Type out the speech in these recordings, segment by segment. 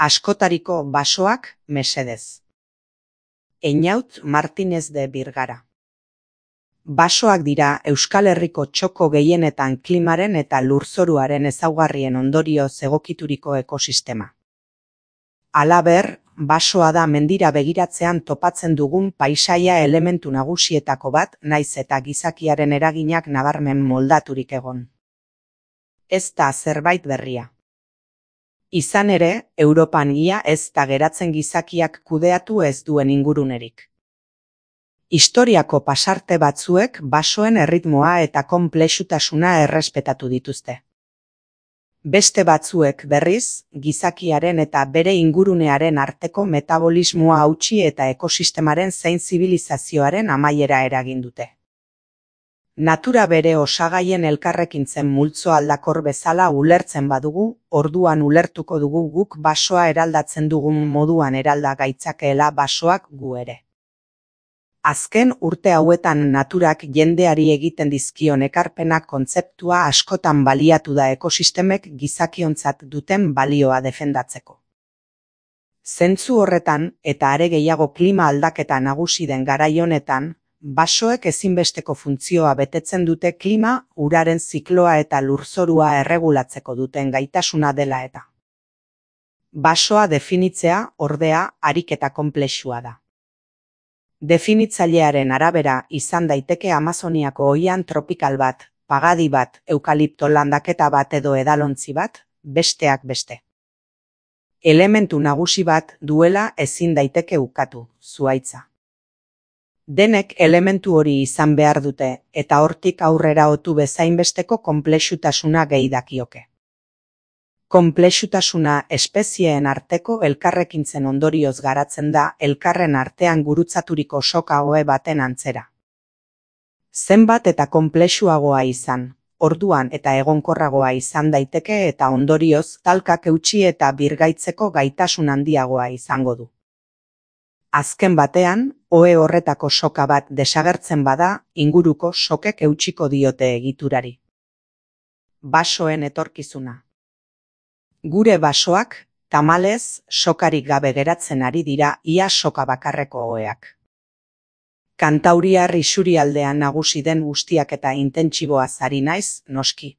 Askotariko basoak mesedez. Einaut Martínez de Birgara. Basoak dira Euskal Herriko txoko gehienetan klimaren eta lurzoruaren ezaugarrien ondorioz egokituriko ekosistema. Halaber, basoa da mendira begiratzean topatzen dugun paisaia elementu nagusietako bat, naiz eta gizakiaren eraginak nabarmen moldaturik egon. Ez da zerbait berria. Izan ere, Europan ia ez da geratzen gizakiak kudeatu ez duen ingurunerik. Historiako pasarte batzuek basoen erritmoa eta konplexutasuna errespetatu dituzte. Beste batzuek berriz, gizakiaren eta bere ingurunearen arteko metabolismoa hautsi eta ekosistemaren zein zibilizazioaren amaiera eragin dute. Natura bere osagaien elkarrekintzen multzo aldakor bezala ulertzen badugu, orduan ulertuko dugu guk basoa eraldatzen dugun moduan eralda gaitzakeela basoak gu ere. Azken urte hauetan naturak jendeari egiten dizkion ekarpenak kontzeptua askotan baliatu da ekosistemek gizakiontzat duten balioa defendatzeko. Zentzu horretan, eta are gehiago klima aldaketa nagusi den garai honetan, basoek ezinbesteko funtzioa betetzen dute klima, uraren zikloa eta lurzorua erregulatzeko duten gaitasuna dela eta. Basoa definitzea, ordea, ariketa konplexua da. Definitzailearen arabera izan daiteke Amazoniako oihan tropikal bat, pagadi bat, eukalipto landaketa bat edo edalontzi bat, besteak beste. Elementu nagusi bat duela ezin daiteke ukatu, zuhaitza. Denek elementu hori izan behar dute, eta hortik aurrera otu bezainbesteko konplexutasuna gehi dakioke. Konplexutasuna espezieen arteko elkarrekintzen ondorioz garatzen da elkarren artean gurutzaturiko soka ohe baten antzera. Zenbat eta konplexuagoa izan, orduan eta egonkorragoa izan daiteke eta ondorioz talkak eutsi eta birgaitzeko gaitasun handiagoa izango du. Azken batean, ohe horretako soka bat desagertzen bada, inguruko sokek eutsiko diote egiturari. Basoen etorkizuna. Gure basoak, tamalez, sokarik gabe geratzen ari dira ia soka bakarreko oheak. Kantauriar isurialdean nagusi den guztiak eta intentsiboaz ari naiz, noski.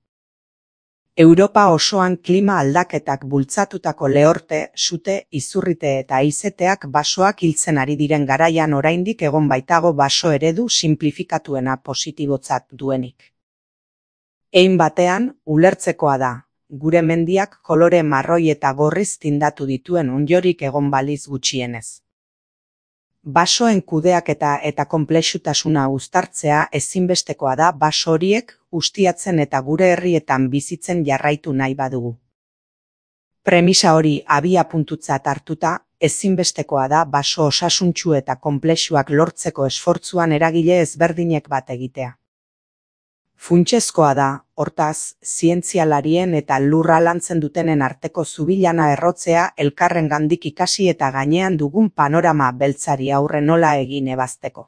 Europa osoan klima aldaketak bultzatutako lehorte, sute, izurrite eta haizeteak basoak hiltzen ari diren garaian oraindik egon baitago baso eredu sinplifikatuena positibotzat duenik. Hein batean, ulertzekoa da, gure mendiak kolore marroi eta gorriz tindatu dituen ondoriorik egon baliz gutxienez. Basoen kudeaketa eta konplexutasuna uztartzea ezinbestekoa da baso horiek ustiatzen eta gure herrietan bizitzen jarraitu nahi badugu. Premisa hori abiapuntutzat hartuta, ezinbestekoa da baso osasuntsu eta konplexuak lortzeko esfortzuan eragile ezberdinek bat egitea. Funtsezkoa da, hortaz, zientzialarien eta lurra lantzen dutenen arteko zubilana errotzea elkarrengandik ikasi eta gainean dugun panorama beltzari aurre nola egin ebazteko.